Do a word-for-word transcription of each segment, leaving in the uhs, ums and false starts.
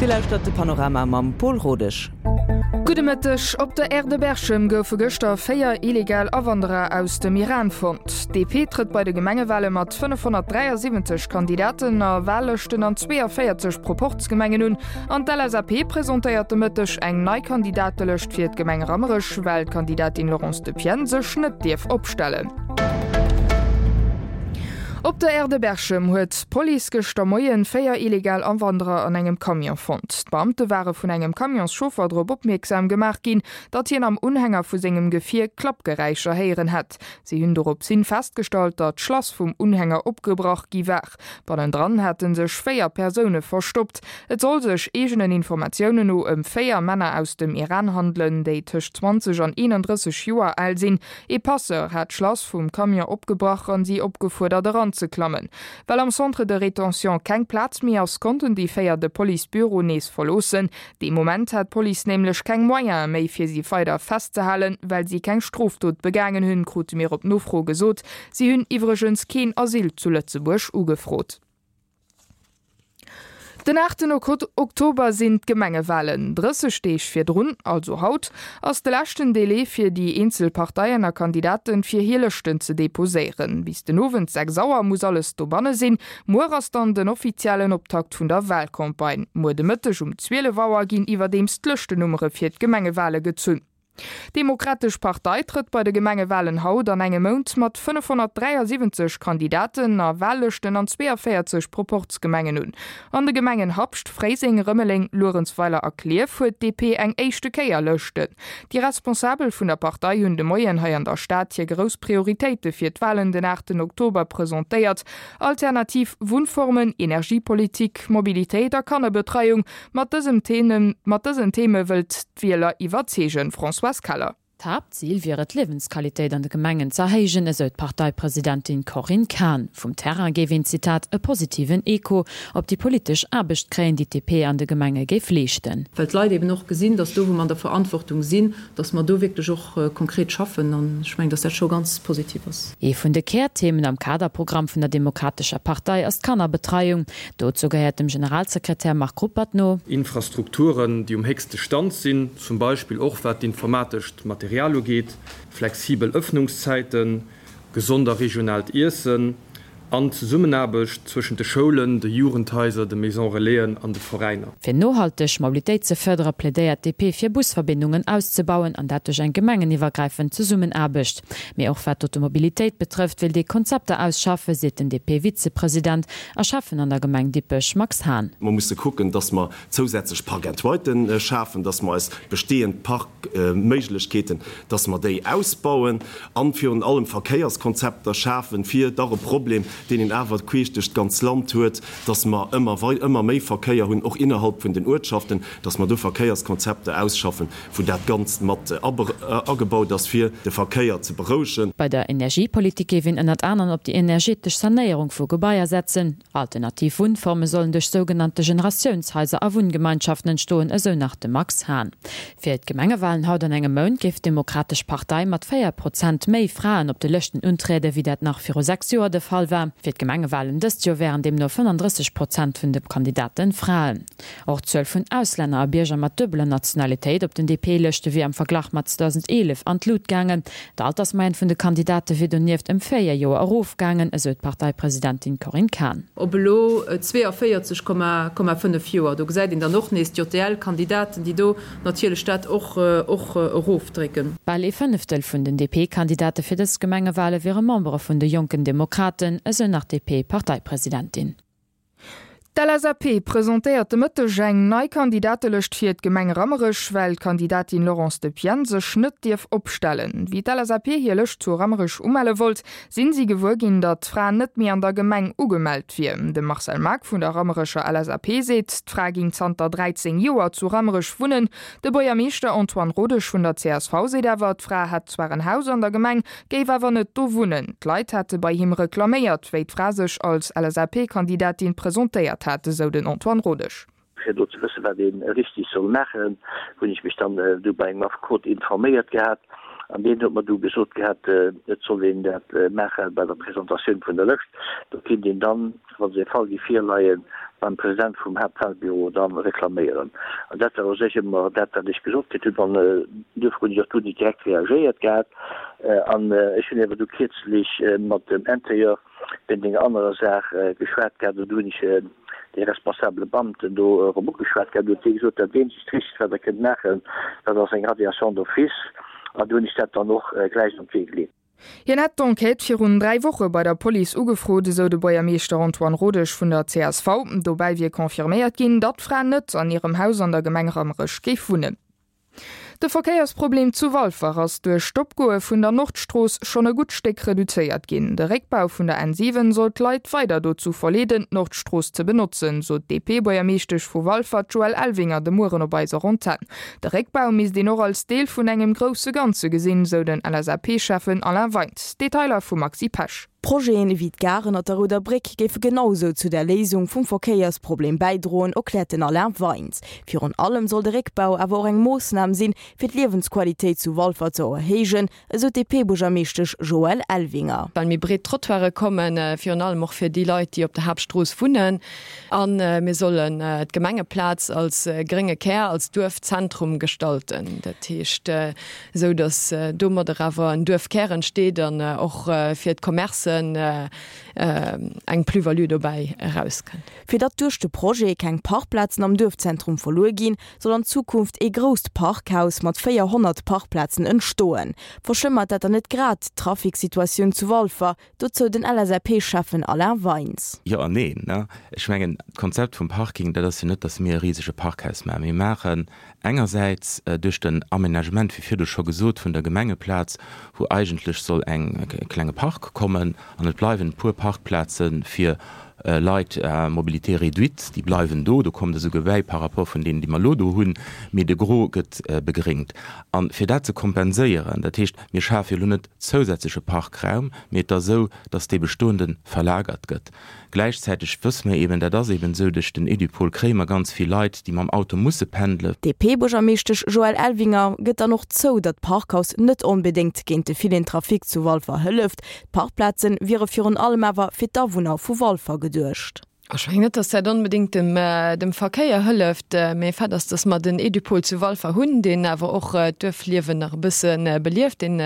Dir lauschtert de Panorama mam Pol Rodesch. Gudde Mëtteg. Op der Aire de Berchem goufe gëschter véier illegal Awanderer aus dem Iran fonnt. D P trëtt bei de Gemengewale mat fënnefhonnertdräiasiwwenzeg Kandidaten a Wallëschten an zweeënvéierzeg Proporzgemengen un. An d'L S A P presentéiert de Mëtteg eng nei Kandidatelëscht fir d'Gemeng Rammerech, well d'Kandidatin Laurence Depienne sech net dierf opstellen. Op der Aire de Berchem huet d'Police gëschter Moien véier illegal Awanderer an engem Camion fonnt. D'Beamte ware vun engem Camionschauffer drop opmierksam gemaach ginn, datt hien am Unhänger vu sengem Gefier Klappgeräischer héieren hätt. Si hunn doropshin festgestallt, datt d'Schlass vum Unhänger opgebrach gi war. Bannendran hätte sech véier Persoune verstoppt. Et soll sech eegenen Informatiounen no ëm véier Männer aus dem Iran handelen, déi tëscht zwanzeg an eenandrësseg Joer al sinn. Ee Passeur hat d'Schlass vum Camion opgebrach an si opgefuerdert eranzeklammen. Well am Centre de rétention keng Plaz méi ass, konnten déi véier de Policebüro nees verloossen. Dee Moment hat d'Police nämlech keng Moyene méi fir si weider festzehalen, well si keng Strofdot begaangen hunn, krute mir op Nofro gesot. Si hunn iwwregens keen Asyl zu Lëtzebuerg ugefrot. Den aachten Oktober sinn d'Gemengewalen. Drësseg Deeg virdrun, also haut, ass de leschten Delai fir déi eenzel Parteien a Kandidaten fir hir Lëschten ze deposéieren. Bis den Owend sechs Auer muss alles dobanne sinn. Muer ass dann den offiziellen Optakt vun der Walcampagne. Muer de Mëtteg um zwielef Auer ginn iwwerdeems d'Lëschtennummere fir d'Gemengewale gezunn. D'Demokratesch Partei trëtt bei de Gemengewalen haut an engem Mount mat fënnefhonnertdräiasiwwenzeg Kandidaten a Wallëschten an zweeënvéierzeg Proporzgemengen un. An de Gemengen Habscht, Fréiseng, Rëmeleng, Luerenzweiler a Klierf huet d'D P eng éischte Kéier Lëschten. Déi Responsabel vun der Partei hunn de Moien hei an der Stad hir grouss Prioritéite fir d'Walen den aachten Oktober presentéiert: Alternativ Wunnformen, Energiepolitik, Mobilitéit a Kannerbetreiung. Mat dësem Themen, mat dësen Theme wëllt d'Wieler iwwerzeegen. Françoise Keller. D'Haaptzil wier et, d'Liewensqualitéit an de Gemengen ze erhéijen, esou d'Parteipresidentin Corinne Cahen. Vum Terrain géif een, Zitat, e positiven Echo op déi politesch Aarbecht kréien, déi d'D P an de Gemenge géif leeschten. Well d'Leit eben och gesinn, datt do, wou mer an der Verantwortung sinn, datt mer do wierklech och konkret schaffen, an ech mengen, datt dat scho ganz positiv ass. Ee vun de Kärthemen am Kaderprogramm vun der Demokratescher Partei ass d'Kannerbetreiung. Dozou gehéiert dem Generalsekretär Marc Ruppert no: Infrastrukturen, déi um héchste Stand sinn, zum Beispill och wat d'informatescht Material ugeet, flexibel Ëffnungszäiten, gesond a regionaalt Iessen an Zesummenaarbecht zwëschent de Schoulen, de Jugendhaiser, de Maison Relaisen an de Veräiner. Fir nohalteg Mobilitéit ze fërdere plädéiert d'D P fir Busverbindungen auszebauen an dat duerch eng gemengeniwwergräifend Zesummenaarbecht. Mee och wat d'Automobilitéit betrëfft, wëllt ee Konzepter ausschaffen, seet den D P-Vizepresident a Schäffen an der Gemeng Dippech Max Hahn. Mer musse kucken, dass mer zousätzlech Park-and-Riden schafen, dass mer eis bestehend Parkméiglechkeeten, dass mer déi ausbauen an virun allem Verkéierskonzepter schafen, fir dach e Problem, deen een awer queesch duerch d'ganz Land huet, dass mer ëmmer ëmmer méi Verkéier hunn, och innerhalb vun den Uertschaften, dass mer do Verkéierskonzepter ausschaffen, wou dat Ganzt mat agebaut ass, fir de Verkéier ze berouegen. Bei der Energiepolitik géif een ënnert anerem op déi energetesch Sanéierung vu Gebaier setzen. Alternativ Wunnforme sollen duerch sougenannte Generatiounshaiser a Wunngemeinschaften entstoen, esou nach de Max Hahn. Fir d'Gemengewalen haut an engem Mount géif d'Demokratesch Partei mat véier Prozent méi Fraen op de Lëschten untrieden, wéi dat nach viru sechs Joer de Fall war. Fir d'Gemengewalen dëst Joer wären deemno fënnefandrësseg Prozent vun de Kandidaten Fraen. Och d'Zuel vun Auslänner a Bierger mat duebeler Nationalitéit op den D P-Lëschte wier am Verglach mat zweedausendeelef an d'Lut gaangen. D'Altersmoyenne vun de Kandidate wier donieft ëm véier Joer erofgaangen, esou d'Parteipresidentin Corinne Cahen. Op elo zweeënvéierzeg Komma fënnef Joer, do gesäit een dann och nees d'J D L-Kandidaten, déi do natierlech dat och och erofdrécken. Bal ee Fënneftel vun den D P-Kandidate fir dës Gemengewale wiere Membere vun de Jonken Demokraten, esou nach d'D P-Parteipresidentin. D'L S A P presentéiert de Mëtteg eng nei Kandidatelëscht fir d'Gemeng Rammerech, well d'Kandidatin Laurence Depienne sech net dierf opstellen. Wéi d'L S A P hir Lëscht zu Rammerech umelle wollt, sinn si gewuer ginn, datt d'Fra net méi an der Gemeng ugemellt wier. De Marcel Maack vun der Rammerecher L S A P seet, d'Fra géing zanter dräizéng Joer zu Rammerech wunnen. De Buergermeeschter Antoine Rodesch vun der C S V seet awer, d'Fra hätt zwar en Haus an der Gemeng, géif awer net do wunnen. D'Leit hätte bei him reklaméiert, wéi d'Fra sech als L S A P-Kandidatin presentéiert hat, esou den Antoine Rodesch. Fir do ze wëssen, wat ee richteg soll maachen, hunn ech mech dann du bei engem Affekot informéiert gehat. An deen huet mer du gesot gehat, et soll een dat maache bei der Presentatioun vun der Lëscht. Do kinnt een dann, wa se e Fall géif virleien, beim President vum Haaptwahlbüro da reklaméieren. An dat war u sech ëmmer dat, wat ech gesot kritt hunn. An duerfir hunn ech och dunn net direkt reagéiert gehat. An ech hunn awer du kierzlech mat dem Intérieur wéint enger anerer Saach geschwat gehat an do hunn ech dee responsabele Beamten do erëm ugeschwat gehat. Do huet dee gesot, dat eenzegt Richtegt, wat Der kënnt maachen, dat ass eng Radiation d'office. An do hunn ech dat dann och gläich an d'Wee geleet. Hien hätt d'Enquête virun dräi Woche bei der Police ugefrot, esou de Buergermeeschter Antoine Rodesch vun der csv. Dobäi wier confirméiert ginn, datt d'Fra net an hirem Haus an der Gemeng Rammerech géif wunnen. De Verkéiersproblem zu Walfer ass duerch d'Opgoe vun der Nordstrooss schonn e gutt Stéck reduzéiert ginn. De Réckbau vun der N siwen soll d'Leit weider dozou verleeden, d'Nordstrooss ze benotzen, sot d'DP-Buergermeeschtesch vu Walfer, d'Joëlle Elvinger, de Mueren op eiser Antenn. De Réckbau misst een och als Deel vun engem grousse Ganze gesinn, sou den LSAP-Schäffen Alain Weins. Detailer vum Maxi Pesch. Projeten ewéi d'Gare ënnert der Rouder Bréck géife genau esou zu der Léisung vum Verkéiersproblem bäidroen, erkläert den Alain Weins. Virun allem soll de Réckbau awer och eng Moossnam sinn, fir d'Liewensqualitéit zu Walfer ze erhéijen, esou d'DP-Buergermeeschtesch Joëlle Elvinger. Well méi breet Trottoiре kommen, virun allem och fir déi Leit, déi op der Haaptstrooss wunnen. A mir sollen d'Gemengeplaz als grénge Kär, als Duerfzentrum gestalten. Dat heescht, esou datt domadder awer en Duerfkär entsteet an och fir d'Commercen eng Plus-value dobäi erauskënnt. Fir datt duerch de Projet keng Parkplazen am Duerfzentrum verluer ginn, soll an Zukunft ee grousst Parkhaus mat véierhonnert Parkplazen entstoen. Verschlëmmert dat dann net grad d'Traficsituatioun zu Walfer? Dozou den LSAP-Schäffen Alain Weins. Jo an neen. Ech mengen, d'Konzept vum Parking, dat ass jo net, datt mir e risege Parkhaus maachen. Mir maachen engersäits duerch den Aménagement, wéi virdu scho gesot, vun der Gemengeplaz, wou eigentlech soll eng e klenge Park kommen an et bleiwen e puer Parkplaze fir Leit à mobilité réduite, déi bleiwen do, do kommt esouguer bäi par rapport vun deenen, déi mer elo do hunn, mee de Gros gëtt begréngt. A fir dat ze kompenséieren, dat heescht, mir schafe jo elo net zousätzleche Parkraum, mee et ass esou, dass dee bestoende verlagert gëtt. Gläichzäiteg wësse mer eben, dat ass eben esou, duerch den Edupol kréie mer ganz vill Leit, déi mam Auto musse pendelen. D'DP-Buergermeeschtesch Joëlle Elvinger gëtt dann och zou, datt d'Parkhaus net onbedéngt géint de villen Trafic zu Walfer hëlleft. D'Parkplaze wiere virun allem awer fir d'Awunner vu Walfer geduecht. Ech mengen net, datt dat onbedéngt dem, dem Verkéier hëlleft, mee Fait ass, datt mer den Edupol zu Walfer hunn, deen awer och d'Duerfliewen nach e bësse belieft, deen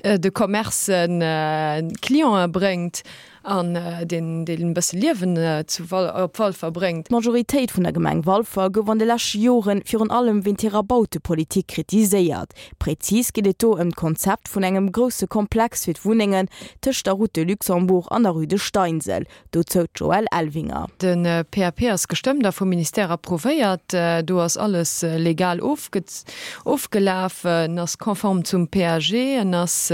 de Commercen Clientë bréngt an deen deen e bësse Liewen zu Wal op Walfer bréngt. D'Majoritéit vun der Gemeng Walfer gouf an de leschte Jore virun allem wéint hirer Bautepolitik kritiséiert. Prezis geet et do ëm d'Konzept vun engem grousse Komplex fir d'Wunnengen tëscht der Route de Luxembourg an der Rue de Steinsel. Dozou d'Joëlle Elvinger. De P A P ass gestëmmt a vum Ministère approuvéiert. Do ass alles legal ofgelaf. En ass konform zum P A G. En ass,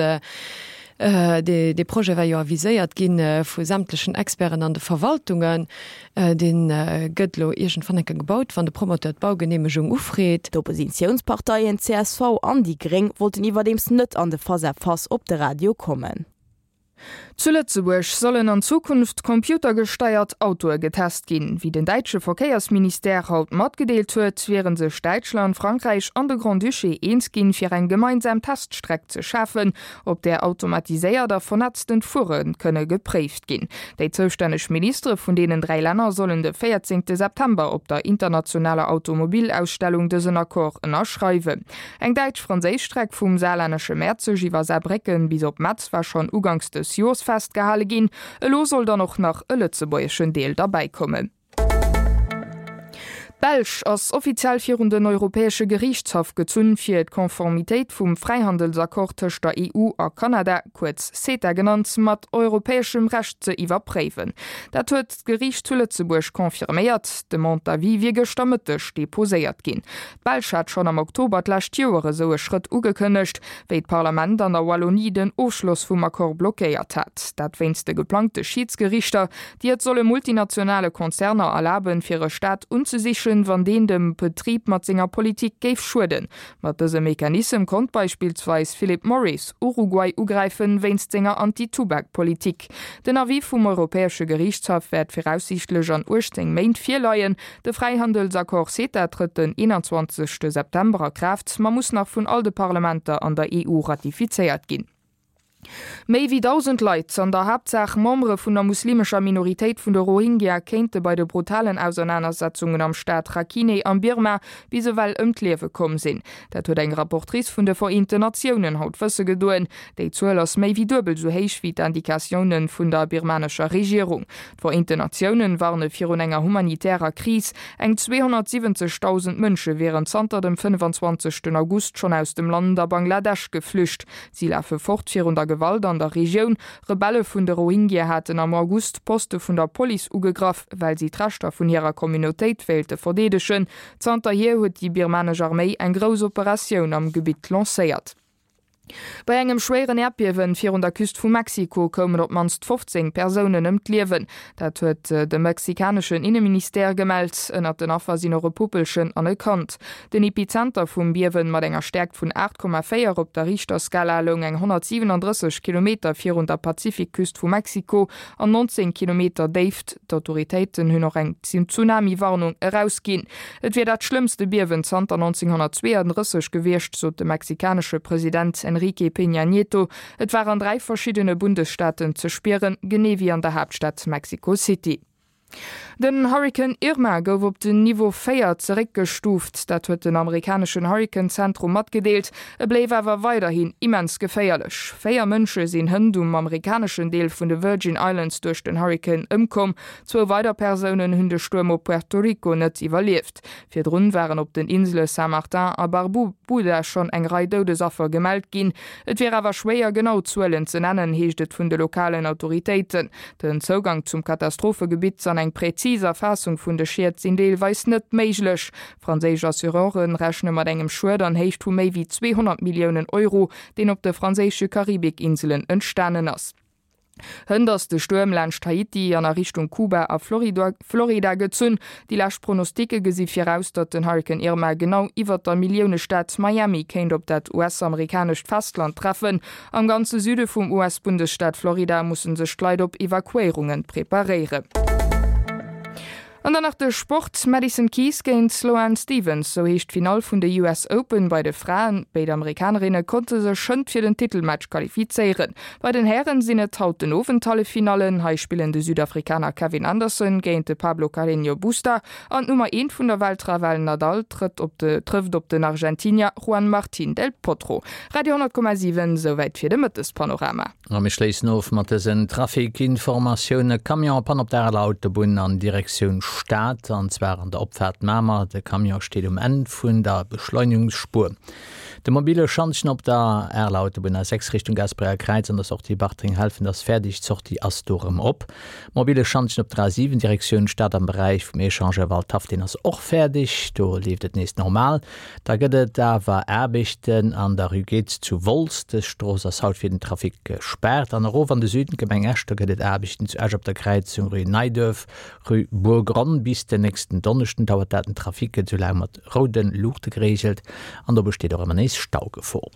dee Projet war jo aviséiert gi vu sämtlechen Experten an de Verwaltungen. Dee gëtt elo iergendwann enke gebaut, wann de Promoteur d'Baugeneemegung ufreet. D'Oppositiounsparteien csv an déi Gréng wollten iwwerdeems net an de Face-à-face op de Radio kommen. Zu Lëtzebuerg sollen an Zukunft computergesteiert Autoe getest ginn. Wéi den däitsche Verkéiersministère haut matgedeelt huet, wiere sech Däitschland, Frankräich an de Grand-Duché eens ginn, fir eng gemeinsam Teststreck ze schafen, op där automatiséiert a vernetztent Fuere kënne gepréift ginn. Déi zoustänneg Ministere vun deenen dräi Länner sollen de véierzéngte September op der internationaler Automobilausstellung dësen Accord ënnerschreiwen. Eng däitsch-franséisch Streck vum saarlännesche Merzig iwwer Saarbrécken bis op Metz war schonn uganks des Joers festgehale ginn. Elo soll dann och nach e lëtzebuergeschen Deel derbäikommen. D'Belsch ass offiziell virun den Europäesche Geriichtshaff gezunn, fir d'Konformitéit vum Fräihandelsaccord tëscht der E U a Kanada, kuerz CETA genannt, mat europäeschem Recht ze iwwerpréiwen. Dat huet d'Geriicht zu Lëtzebuerg confirméiert. D'Demande d'avis wier gëschter Mëtteg deposéiert ginn. D'Belsch hat schonn am Oktober d'lescht Joer esou e Schrëtt ugekënnegt, wéi d'Parlament an der Wallonie den Ofschloss vum Accord blockéiert hat. Dat wéinst de geplangte Schiidsgeriichter, déi et solle multinationale Konzerner erlaben, fir e Staat unzesichen, sträichen, wann deen dem Betrib mat senger Politik géif schueden. Mat dësem Mechanissem konnt beispillsweis Philip Morris Uruguay ugräifen, wéinst senger Anti-Tubak-Politik. Den Avis vum Europäesche Geriichtshaff wäert viraussiichtlech an uechtzéng Méint virleien. De Fräihandelsaccord CETA trëtt den eenanzwanzegste September a Kraaft, ma muss nach vun all de Parlamenter an der E U ratifizéiert ginn. Méi wéi dausend Leit, an der Haaptsaach Membere vun der muslimescher Minoritéit vun de Rohingya, kéinte bei de brutalen Ausernanersetzungen am Staat Rakhine am Birma bis ewell ëm d'Liewe komm sinn. Dat huet eng Rapportrice vun de Vereenten Natiounen haut wësse gedoen. Déi Zuel ass méi wéi duebel esou héich wéi d'Indikatioune vun der birmanescher Regierung. D'Vereenten Natiounen warne virun enger humanitärer Kris. Eng zweehonnertsiwwenzegdausend Mënsche wieren zanter dem fënnefanzwanzegsten August schonn aus dem Land a Bangladesch geflücht. Si lafe fort virun der Gewalt an der Regioun. Rebelle vun de Rohingya haten am August Poste vun der Police ugegraff, well si d'Rechter vun hirer Communautéit wéilte verdeedegen. Zanterhier huet déi birmanesch Arméi eng grouss Operatioun am Gebitt lancéiert. Bei engem schwéieren Äerdbiewen virun der Küst vu Mexiko koumen op d'mannst fofzéng Persounen ëm d'Liewen. Dat huet de mexikaneschen Inneministère gemellt. Ënnert den Affer sinn och e Puppelchen an e Kand. Den Epizenter vum Biewen mat enger Stäerkt vun aacht Komma véier op der Richterskala loung eng honnertsiwenandrësseg Kilometer virun der Pazifikküst vu Mexiko an nonzéng Kilometer Déift. D'Autoritéiten hunn och eng Tsunami-Warnung erausginn. Et wier dat schlëmmste Biewen zanter nonzénghonnertzweeandrësseg gewiescht, sot de mexikanesche President Enrique Peña Nieto. Et war an dräi verschiddene Bundesstaaten ze spieren, genee wéi an der Haaptstad Mexico City. Den Hurrikan Irma gouf op den Niveau véier zeréckgestuuft, dat huet den amerikaneschen Hurrikan-Zentrum matgedeelt. E bléif awer weiderhin immens geféierlech. Véier Mënsche sinn hënt um amerikaneschen Deel vun de Virgin Islands duerch den Hurrikan ëmkomm. Zwou weider Persounen hunn de Stuerm op Puerto Rico net iwwerlieft. Virdrun waren op den Insele Saint-Martin a Barbuda schonn eng Rei Doudesaffer gemellt ginn. Et wier awer schwéier, genau Zuelen ze nennen, heescht et vun de lokalen Autoritéiten. Den Zougang zum Katastrophegebitt an eng präzis Erfaassung vun de Schied sinn deelweis net méiglech. Franséisch Assureure rechne mat engem Schued an Héicht vu méi wéi zweehonnert Milliounen Euro, deen op de franséische Karibikinselen entstanen ass. Hënt ass de Stuerm laanscht Haiti an a Richtung Kuba a Florida gezunn. Déi lescht Pronosticke gesi viraus, datt den Hurrikan Irma genau iwwert der Milliounestad Miami kéint op dat U S-amerikanescht Festland treffen. Am ganze Süde vum U S-Bundesstaat Florida musse sech d'Leit op Evakuéierunge preparéieren. An dann nach de Sport, Madison Keys géint Sloane Stephens, sou heescht d'Finall vun de U S Open bei de Fraen. Béid Amerikanerinne konnte sech schënnt fir den Titelmatch qualifizéieren. Bei den Hären sinn et haut den Owend d'Halleffinallen. Hei spillen de Südafrikaner Kevin Anderson géint de Pablo Carreño Busta an d'Nummer eent vun der Welt Rafael Nadal trëtt op de trëfft op den Argentinier Juan Martin del Potro. Radio honnert Komma siwen, souwäit fir de Mëttespanorama. A mir schléissen of mat dësen Trafikinformatioune. Camion en panne op der Areler Autobunn an Direktioun Stad, an zwar an der Opfaart Mamer. De Camion steet um Enn vun der Beschleunigungsspuer. De mobile Schantjen op der Areler Autobunn A sechs Richtung Gaasperecher Kräiz an der Sortie Bartreng-Helfent ass fäerdeg, d'Sortie ass do erëm op. Mobile Schantjen op der A siwen Direktioun Stad am Beräich vum Echangeur Waldhaff, deen ass och fäerdeg, do leeft et nees normal. Da gëtt et awer Aarbechten an der Rue Goetz zu Wolz. Dës Strooss ass haut fir den Trafic gespaart. An erof an de Süden, Gemeng Esch, do gëtt et Aarbechten zu Esch op der Kräizung Rue Neiduerf, Rue Bourgronn. Bis den nächsten Donneschden dauert dat. Den Trafic gëtt esou laang mat roude Luuchte gereegelt an do besteet och ëmmer nees Staugefor.